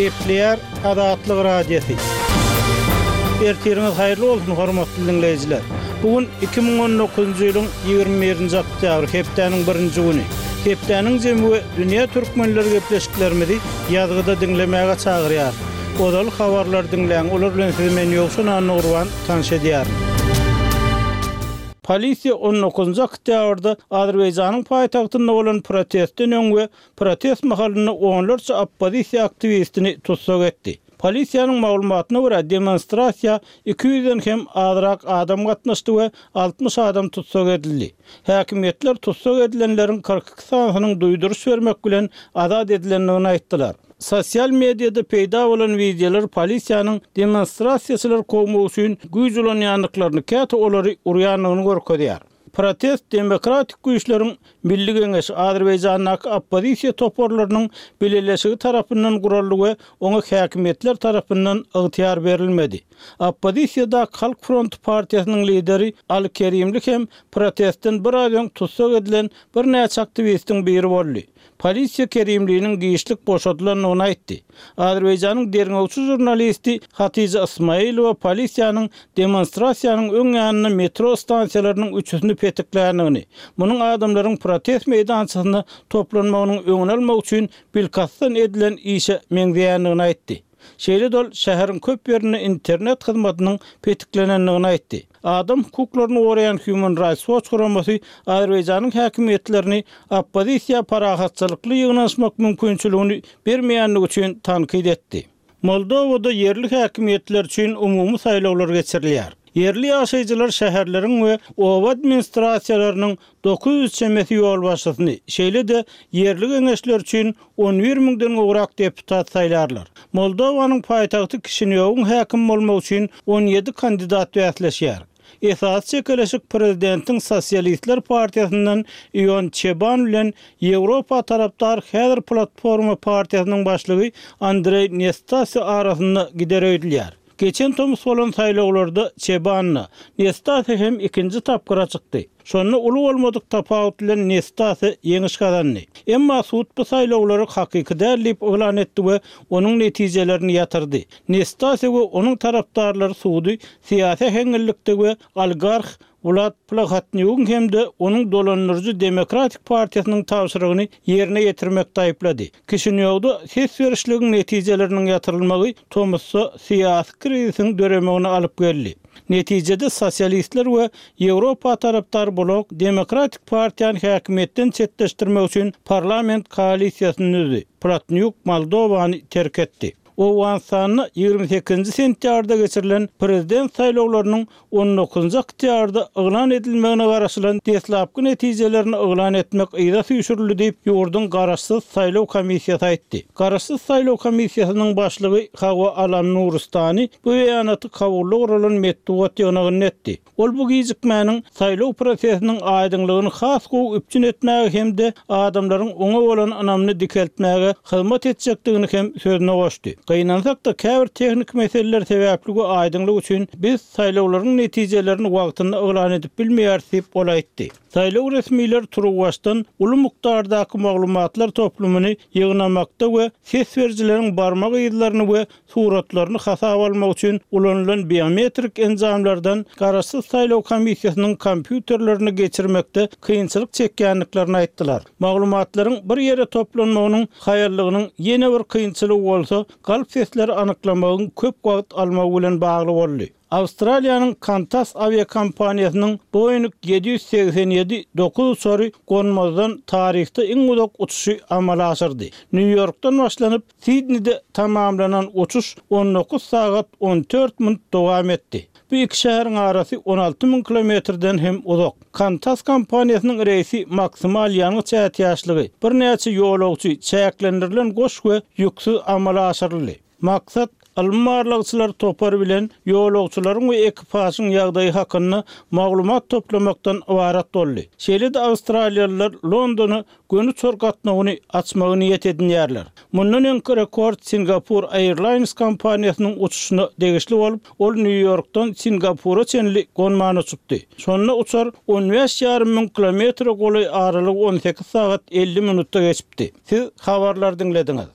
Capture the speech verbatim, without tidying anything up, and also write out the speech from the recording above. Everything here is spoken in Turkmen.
Gepleýär Azatlyk Radiosy. Ertiriňiz haýyrly bolsun, hormatly diňleýjiler. Bu gün iki müň on dokuzynjy ýylyň ýigrimi birinji oktýabry, hepdäniň birinji güni. Hepdäniň jemi we dünýä türkmenleri gepleşiklerimizi ýazgyda diňlemäge çagyrýar. Ozaly habarlar diňläň, olar bilen sizi men Ýowşan Annagurban tanyş edýärin. Polisiýa on dokuzynjy oktýabrda Azerbaýjanyň paýtagtynda bolan protestden öň we protest mahalynda onlarça oppozisiýa aktiwistini tussag etdi. Polisiýanyň maglumatyna görä demonstrasiýa iki ýüzden hem azrak adam gatnaşdy we altmyş adam tussag edildi. Häkimiýetler tussag edilenleriň kyrk iki sanysynyň duýduryş bermek bilen azat edilendigini aýtdylar. Sosyal medyada peýda bolan wideolar polisiýanyň demonstrasiýaçylar kowmak üçin güýç ulanýandyklaryny, käte olary urýandygyny görkezýär. Protest demokratik güýçleriň Milli Geňeşi Azerbaýjandaky oppozisiýa toparlarynyň bileleşigi tarapyndan guraldy we oňa häkimiýetler tarapyndan ygtyýar berilmedi. Oppozisiýadaky Halk Fronty partiýasynyň lideri Ali Kerimli hem protestden bir az öň tussag edilen birnäçe aktiwistiň biri boldy. Polisiýa Kerimliniň giçlik boşadylandygyny aýtdy. Azerbaýjanyň derňewçi jurnalisti Hatice Ismailowa polisiýanyň demonstrasiýanyň öň ýanynda metro stansiýalarynyň üçüsini petikländigini, munuň adamlaryň protest meýdançasynda toplanmagynyň öňüni almak üçin bilkastdan edilen işe meňzeýändigini aýtdy. Şeýle dol şäheriň köp ýerinde internet hyzmatynyň petiklenendigini aýtdy. Adam hukuklaryny goraýan Human Rights Watch guramasy Azerbaýjanyň häkimiýetlerini oppozisiýa parahatçylykly ýygnanyşmak mümkinçiligini bermeýändigi üçin tankyt etdi. Moldowada ýerli häkimiýetler üçin umumy saýlawlar geçirilýär. Ýerli ýaşaýjylar şäherleriň we oba administrasiýalarynyň dokuz ýüz çemesi ýolbaşçysyny, şeýle-de ýerli geňeşler üçin on bir müňden gowrak deputat saýlarlar. Moldowanyň paýtagty Kişinýowyň häkim bolmak üçin on ýedi kandidat bäsleşýär. Esasy çekeleşik prezidentiň Sosialistler partiýasyndan Ion Çeban bilen Ýewropa tarapdar Häzir platforma partiýasynyň başlygy Andrei Nestase arasynda gider öýdülýär. Geçen tomus bolan saýlawlarda Çebanna Nestase hem ikinji tapgyra çykdy. Şonda uly bolmadyk tapawut bilen Nestase ýeňiş gazandy. Emma sud bu saýlawlary hakyky däl diýip yglan etdi we onuň netijelerini ýatyrdy. Nestase we onuň tarapdarlary sudy syýasy heňňillikde we oligarx Vlad Plahotniugyň hem-de onuň dolandyryjy Demokratik partiýasynyň tabşyrygyny ýerine ýetirmek taýyplady. Kişinýowda ses berişligiň netijeleriniň ýatyrylmagy tomusda syýasy krizisiň döremegine alyp geldi. Netijede sosialistler we Ýewropa tarapdar blok Demokratik partiýany häkimiýetden çetleşdirmek üçin parlament koalisiýasyny düzdi. Plahotniuk Moldowany terk etdi. Owganystanda ýigrimi sekizinji sentýabrda geçirilen prezident saýlawlarynyň on dokuzynjy oktýabrda yglan edilmegine garaşylan deslapky netijelerini yglan etmek yza süýşürildi diýip, ýurduň Garaşsyz saýlaw komissiýasy aýtdy. Garaşsyz saýlaw komissiýasynyň başlygy Hawa Alan Nuristani bu beýanaty Kabulda guralan metbugat ýygnagynda etdi. Ol bu gijikmäniň saýlaw prosesiniň aýdyňlygyny has gowy üpjün etmäge hem-de adamlaryň oňa bolan ynamyny dikeltmäge hyzmat etjekdigini hem sözüne goşdy. Gynansak-da käbir tehnik meseleler sebäpli we aýdyňlyk üçin biz saýlawlaryň netijelerini wagtynda yglan edip bilmeýäris diýip ol aýtdy. Saýlaw resmiler turuwbaşdan uly mukdardaky maglumatlar toplumyny ýygnamakda we ses berijileriň barmak yzlaryny we suratlaryny hasaba almak üçin ulanylan biometrik enjamlardan Garaşsyz saýlaw komissiýasynyň kompýuterlerini geçirmekde kynçylyk çekýändiklerini aýtdylar. Maglumatlaryň bir ýere toplanmagynyň haýallygynyň ýene bir kynçylygy bolsa, galp sesleri anyklamagyň köp wagt almagy bilen bagly boldy. Awstraliýanyň Qantas awiakompaniýasynyň Boeing ýedi ýüz segsen ýedi dokuz uçary gonmazdan taryhda iň uzak uçuşy amala aşyrdy. Nýu-Ýorkdan başlanyp Sidneyde tamamlanan uçuş on dokuz sagat on dört minut dowam etdi. Bu iki şäheriň arasy on alty müň kilometrden hem uzak. Qantas kompaniýasynyň reýsi maksimal ýangyç ätiýaçlygy, birnäçe ýolagçy, çäklendirilen goş we ýüksüz amala aşyryldy. Maksat ylmy barlagçylar topary bilen ýolagçylaryň we ekipažyň ýagdaýy hakynda maglumat toplamakdan ybarat boldy. Şeýle-de Awstraliýalylar Londona göni uçar gatnawyny açmagy niýet edinýärler. Mundan öňki rekord Singapur Airlines kompaniýasynyň uçuşyna degişli bolup, ol Nýu-Ýorkdan Singapura çenli gonman uçupdy. Şonda uçar on bäş ýarym müň kilometre golaý aralygy on sekiz sagat elli minutda geçipdi. Siz habarlar diňlediňiz.